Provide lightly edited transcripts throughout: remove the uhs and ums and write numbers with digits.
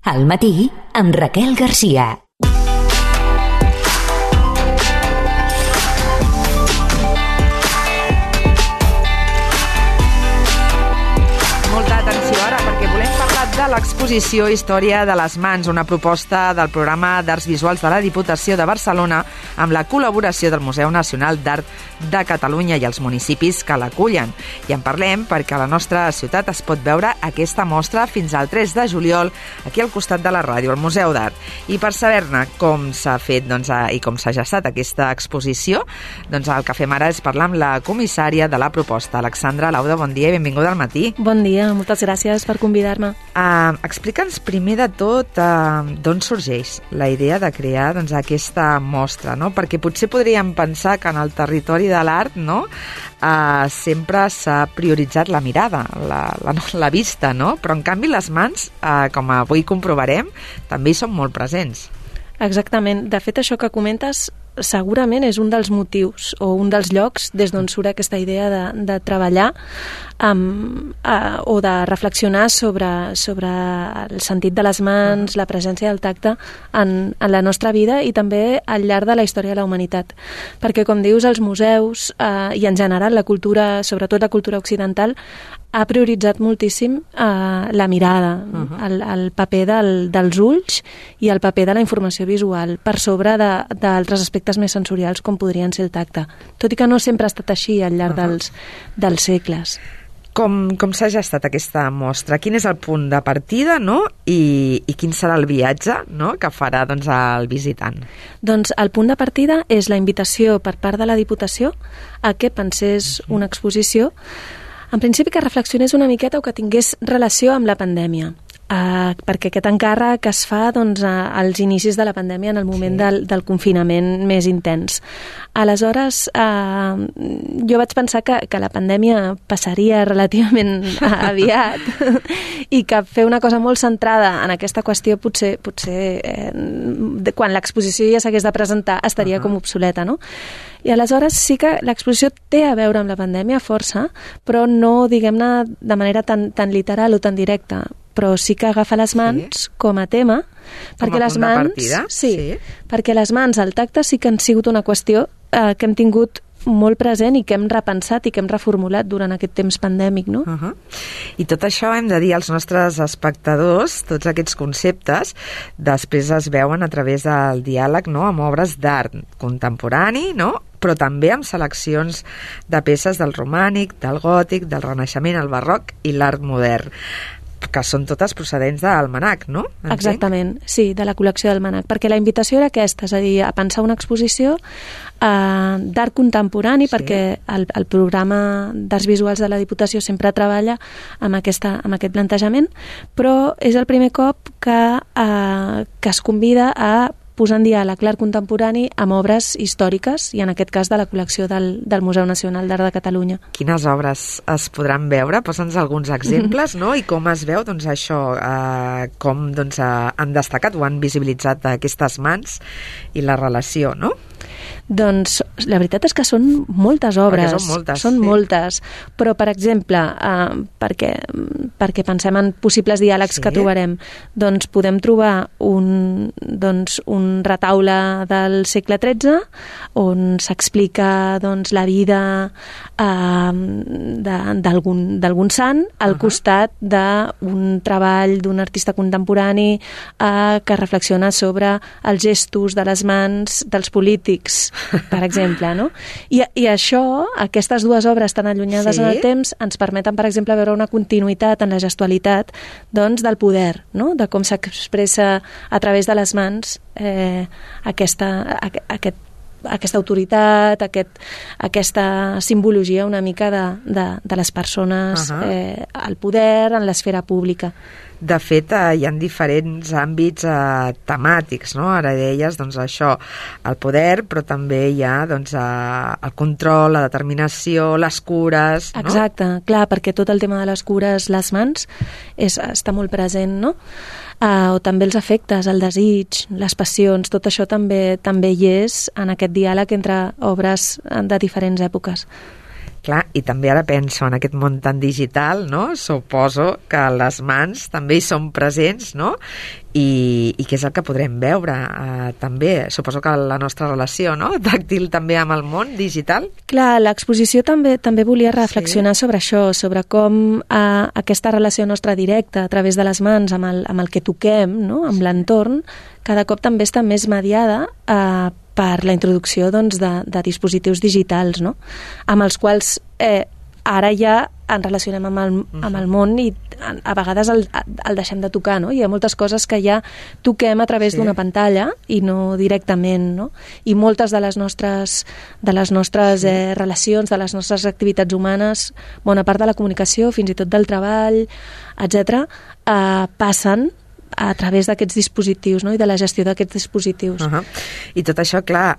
Al matí, amb Raquel Garcia. Molta atenció ara, perquè volem parlar de l'exposició Història de les Mans, una proposta del programa d'Arts Visuals de la Diputació de Barcelona amb la col·laboració del Museu Nacional d'Art de Catalunya i els municipis que l'acullen. I en parlem perquè a la nostra ciutat es pot veure aquesta mostra fins al 3 de juliol aquí al costat de la ràdio, al Museu d'Art. I per saber-ne com s'ha fet i com s'ha gestat aquesta exposició, el que fem ara és parlar amb la comissària de la proposta, Alexandra Lauda. Bon dia i benvinguda al matí. Bon dia, moltes gràcies per convidar-me. Explica'ns primer de tot d'on sorgeix la idea de crear aquesta mostra, no? Perquè potser podríem pensar que en el territori de l'art sempre s'ha prioritzat la mirada, la vista, no? Però en canvi les mans, com avui comprovarem, també hi són molt presents. Exactament. De fet, això que comentes segurament és un dels motius o un dels llocs des d'on surt aquesta idea de treballar o de reflexionar sobre el sentit de les mans, la presència del tacte en la nostra vida i també al llarg de la història de la humanitat. Perquè, com dius, els museus i en general la cultura, sobretot la cultura occidental, ha prioritzat moltíssim la mirada, el paper dels ulls i el paper de la informació visual per sobre d'altres aspectes més sensorials com podrien ser el tacte, tot i que no sempre ha estat així al llarg dels segles. Com s'ha gestat aquesta mostra? Quin és el punt de partida, no? I quin serà el viatge, no?, que farà el visitant? Doncs el punt de partida és la invitació per part de la Diputació a que pensés una exposició, en principi que reflexionés una miqueta o que tingués relació amb la pandèmia. Perquè aquest encàrrec es fa als inicis de la pandèmia, en el moment del confinament més intens. Aleshores, jo vaig pensar que la pandèmia passaria relativament aviat i que fer una cosa molt centrada en aquesta qüestió potser quan l'exposició ja s'hagués de presentar estaria com obsoleta, no? I aleshores sí que l'exposició té a veure amb la pandèmia força, però no, diguem-ne, de manera tan literal o tan directa, però sí que agafa les mans com a tema, perquè les mans, perquè les mans, el tacte sí que han sigut una qüestió que hem tingut molt present i que hem repensat i que hem reformulat durant aquest temps pandèmic, no? I tot això hem de dir als nostres espectadors, tots aquests conceptes, després es veuen a través del diàleg, no?, amb obres d'art contemporani, no?, però també amb seleccions de peces del romànic, del gòtic, del renaixement, el barroc i l'art modern, que són totes procedents d'Almanac, no? Exactament, sí, de la col·lecció d'Almanac, perquè la invitació era aquesta, és a dir, a pensar una exposició d'art contemporani, perquè el programa d'Arts Visuals de la Diputació sempre treballa amb aquest plantejament, però és el primer cop que es convida a posar en diàleg l'art contemporani amb obres històriques, i en aquest cas de la col·lecció del Museu Nacional d'Art de Catalunya. Quines obres es podran veure? Posa'ns alguns exemples, no? I com es veu, això, com han destacat o han visibilitzat aquestes mans i la relació, no? Doncs la veritat és que són moltes obres. Són moltes. Però, per exemple, perquè pensem en possibles diàlegs que trobarem, doncs podem trobar un retaule del segle XIII on s'explica la vida d'algun sant al costat d'un treball d'un artista contemporani que reflexiona sobre els gestos de les mans dels polítics, per exemple, no? I això, aquestes dues obres tan allunyades en el temps, ens permeten, per exemple, veure una continuïtat en la gestualitat del poder, no?, de com s'expressa a través de les mans aquesta autoritat, aquesta simbologia una mica de les persones al poder, en l'esfera pública. De fet, hi ha diferents àmbits temàtics, no? Ara deies, això, el poder, però també hi ha, el control, la determinació, les cures, no? Exacte, clar, perquè tot el tema de les cures, les mans, està molt present, no? O també els afectes, el desig, les passions, tot això també hi és en aquest diàleg entre obres de diferents èpoques. Clar, i també ara penso en aquest món tan digital, no? Suposo que les mans també hi són presents, no? I què és el que podrem veure també? Suposo que la nostra relació, no? Tàctil també amb el món digital. Clar, l'exposició també volia reflexionar sobre això, sobre com aquesta relació nostra directa a través de les mans amb el que toquem, no? Amb l'entorn, cada cop també està més mediada per la introducció doncs, de dispositius digitals, no? Amb els quals ara ja ens relacionem amb el món i a vegades el deixem de tocar, no? Hi ha moltes coses que ja toquem a través d'una pantalla i no directament, no? I moltes de les nostres relacions, de les nostres activitats humanes, bona part de la comunicació, fins i tot del treball, etc., passen a través d'aquests dispositius, no? I de la gestió d'aquests dispositius. I tot això, clar,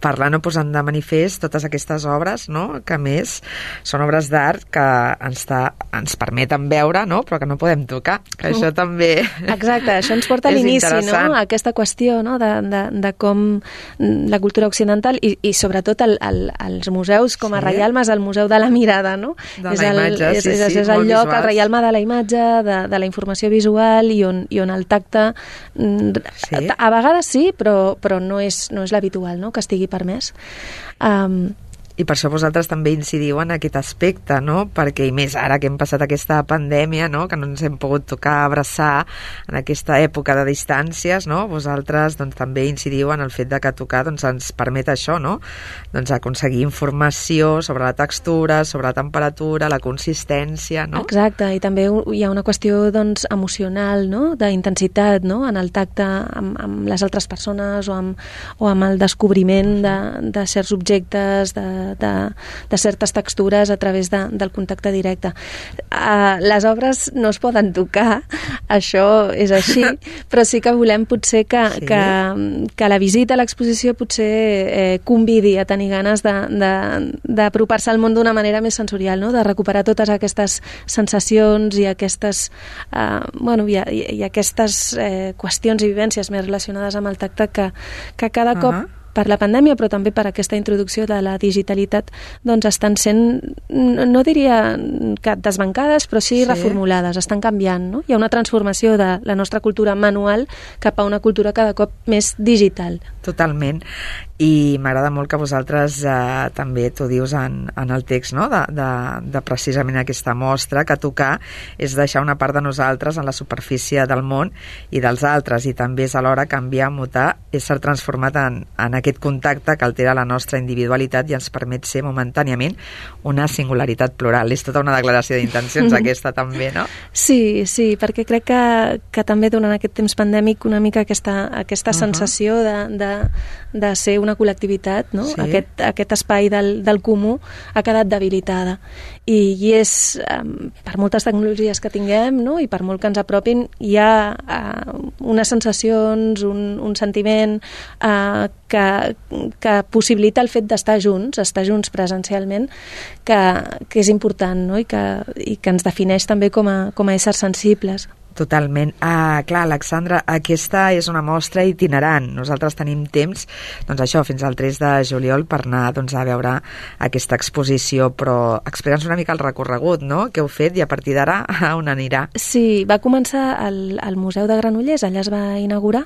parlant o posant de manifest totes aquestes obres, no? Que a més són obres d'art que ens permeten veure, no? Però que no podem tocar. Que això també exacte, això ens porta a l'inici, no? A aquesta qüestió, no? De com la cultura occidental i sobretot els museus com a reialmes, el Museu de la Mirada, no? De la imatge, és el lloc, el reialme de la imatge, de la informació visual i on el tacte a vegades sí, però no és l'habitual, no? Que estigui permès. I per això vosaltres també incidiu en aquest aspecte, no? Perquè, i més ara que hem passat aquesta pandèmia, no? Que no ens hem pogut tocar, abraçar en aquesta època de distàncies, no? Vosaltres doncs, també incidiu en el fet de que tocar doncs, ens permet això, no? Doncs aconseguir informació sobre la textura, sobre la temperatura, la consistència, no? Exacte, i també hi ha una qüestió doncs, emocional, no? D'intensitat, no? En el tacte amb les altres persones o amb el descobriment de certs objectes, de certes textures a través del contacte directe. Les obres no es poden tocar, això és així, però sí que volem potser que la visita a l'exposició potser convidi a tenir ganes d'apropar-se al món d'una manera més sensorial, no? De recuperar totes aquestes sensacions i aquestes i aquestes qüestions i vivències més relacionades amb el tacte que cada cop per la pandèmia, però també per aquesta introducció de la digitalitat, doncs estan sent, no diria que desbancades, però sí reformulades, estan canviant, no? Hi ha una transformació de la nostra cultura manual cap a una cultura cada cop més digital. Totalment. I m'agrada molt que vosaltres també t'ho dius en el text, no? de precisament aquesta mostra, que tocar és deixar una part de nosaltres en la superfície del món i dels altres, i també és alhora canviar, mutar, ésser transformat en aquest contacte que altera la nostra individualitat i ens permet ser momentàniament una singularitat plural. És tota una declaració d'intencions aquesta també, no? Sí, perquè crec que també durant aquest temps pandèmic una mica aquesta sensació de ser una col·lectivitat, no? Sí. Aquest espai del comú ha quedat debilitada i és per moltes tecnologies que tinguem, no? I per molt que ens apropin, hi ha unes sensacions, un sentiment que possibilita el fet d'estar junts presencialment, que és important, no? I que ens defineix també com a éssers sensibles. Totalment. Clar, Alexandra, aquesta és una mostra itinerant. Nosaltres tenim temps, doncs això, fins al 3 de juliol per anar a veure aquesta exposició, però explica'ns una mica el recorregut, no?, que heu fet i a partir d'ara on anirà. Sí, va començar al Museu de Granollers, allà es va inaugurar,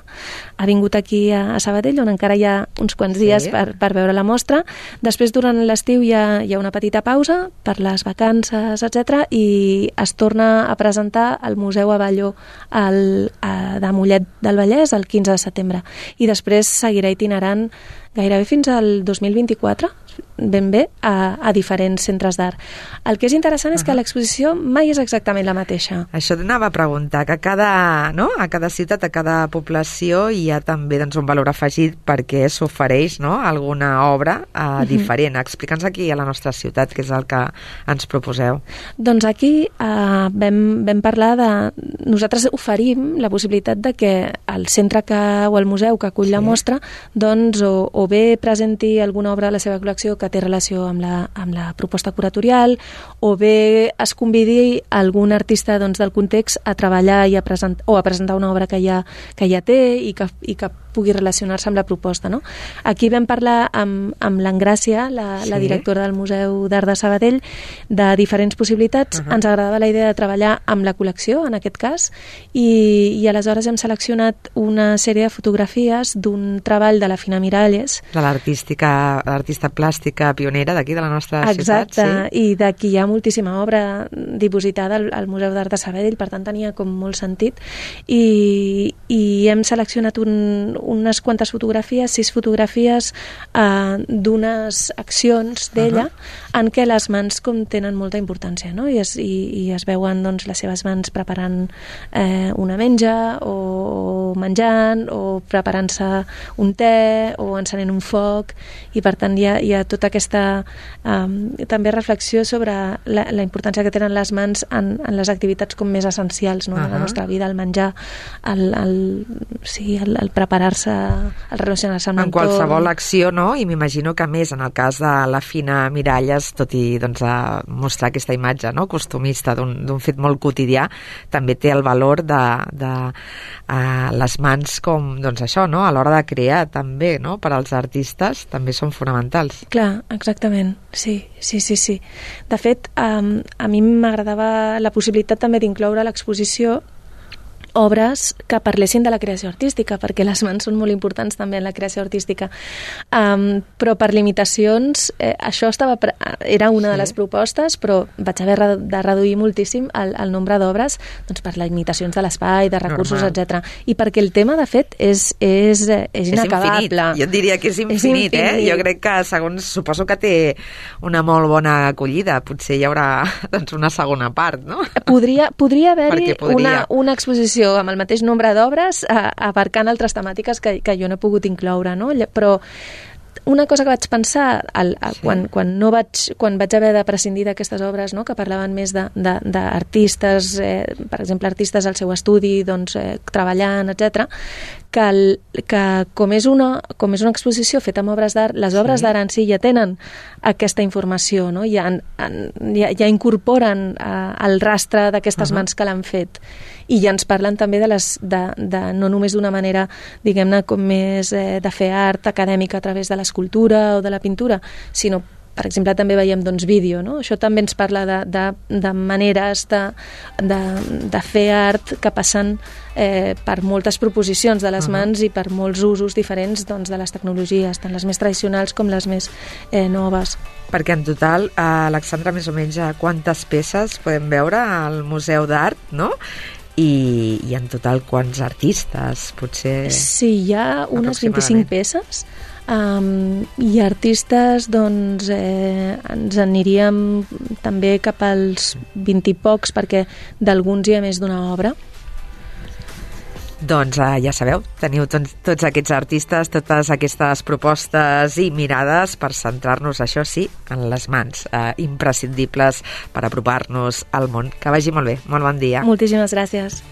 ha vingut aquí a Sabadell, on encara hi ha uns quants dies per veure la mostra. Després, durant l'estiu, hi ha una petita pausa per les vacances, etc., i es torna a presentar al Museu Avelló de Mollet del Vallès el 15 de setembre. I després seguirà itinerant gairebé fins al 2024, ben bé, a diferents centres d'art. El que és interessant és que l'exposició mai és exactament la mateixa. Això t'anava a preguntar, que a cada ciutat, a cada població hi ha també un valor afegit perquè s'ofereix alguna obra diferent. Explica'ns aquí a la nostra ciutat què és el que ens proposeu. Doncs aquí vam parlar de... Nosaltres oferim la possibilitat de que el centre o el museu que acull la mostra o bé presenti alguna obra de la seva col·lecció que que té relació amb la proposta curatorial, o bé es convidi algun artista del context a treballar i a presentar una obra que ja té i que pugui relacionar-se amb la proposta, no? Aquí vam parlar amb l'Engràcia, la directora del Museu d'Art de Sabadell, de diferents possibilitats. Ens agradava la idea de treballar amb la col·lecció, en aquest cas, i aleshores hem seleccionat una sèrie de fotografies d'un treball de la Fina Miralles. De l'artista plàstica pionera d'aquí, de la nostra ciutat. Exacte, i d'aquí hi ha moltíssima obra dipositada al Museu d'Art de Sabadell, per tant tenia com molt sentit, i hem seleccionat unes quantes fotografies, 6 fotografies d'unes accions d'ella en què les mans com tenen molta importància, no? I es veuen doncs, les seves mans preparant una menja o menjant o preparant-se un te o encenent un foc, i per tant hi ha tota aquesta també reflexió sobre la importància que tenen les mans en les activitats com més essencials, no? De la nostra vida, el menjar, el preparar-se, el relacionar-se amb l'entorn. En qualsevol acció, no? I m'imagino que més en el cas de la Fina Miralles, tot i mostrar aquesta imatge, no? Costumista d'un fet molt quotidià, també té el valor de les mans com, doncs això, no? A l'hora de crear també, no? Per als artistes també són fonamentals. Clar, exactament, sí. De fet, a mi m'agradava la possibilitat també d'incloure a l'exposició obres que parlessin de la creació artística, perquè les mans són molt importants també en la creació artística. Però per limitacions, això era una de les propostes, però vaig haver de reduir moltíssim el nombre d'obres, doncs per limitacions de l'espai, de recursos, etc. I perquè el tema, de fet, és inacabable. Infinit. Jo diria que és infinit, Jo crec que, suposo que té una molt bona acollida. Potser hi haurà doncs, una segona part, no? Podria haver-hi una exposició amb el mateix nombre d'obres abarcant altres temàtiques que jo no he pogut incloure, no? Però una cosa que vaig pensar quan vaig haver de prescindir d'aquestes obres, no? Que parlaven més d'artistes, per exemple, artistes al seu estudi, doncs, treballant, etc., que com és una exposició feta amb obres d'art, les obres d'art en si ja tenen aquesta informació, no? Ja incorporen el rastre d'aquestes mans que l'han fet, i ja ens parlen també no només d'una manera, diguem-ne, com més de fer art acadèmica a través de l'escultura o de la pintura, sinó, per exemple, també veiem vídeo, no? Això també ens parla de maneres de fer art que passen per moltes proposicions de les mans i per molts usos diferents de les tecnologies, tant les més tradicionals com les més noves. Perquè en total, Alexandra, més o menys quantes peces podem veure al Museu d'Art, no? I en total quants artistes, potser? Sí, hi ha unes 25 peces, i artistes, doncs, ens aniríem també cap als 20 i pocs, perquè d'alguns hi ha més d'una obra. Doncs ja sabeu, teniu tots aquests artistes, totes aquestes propostes i mirades per centrar-nos, això sí, en les mans, imprescindibles per apropar-nos al món. Que vagi molt bé, molt bon dia. Moltíssimes gràcies.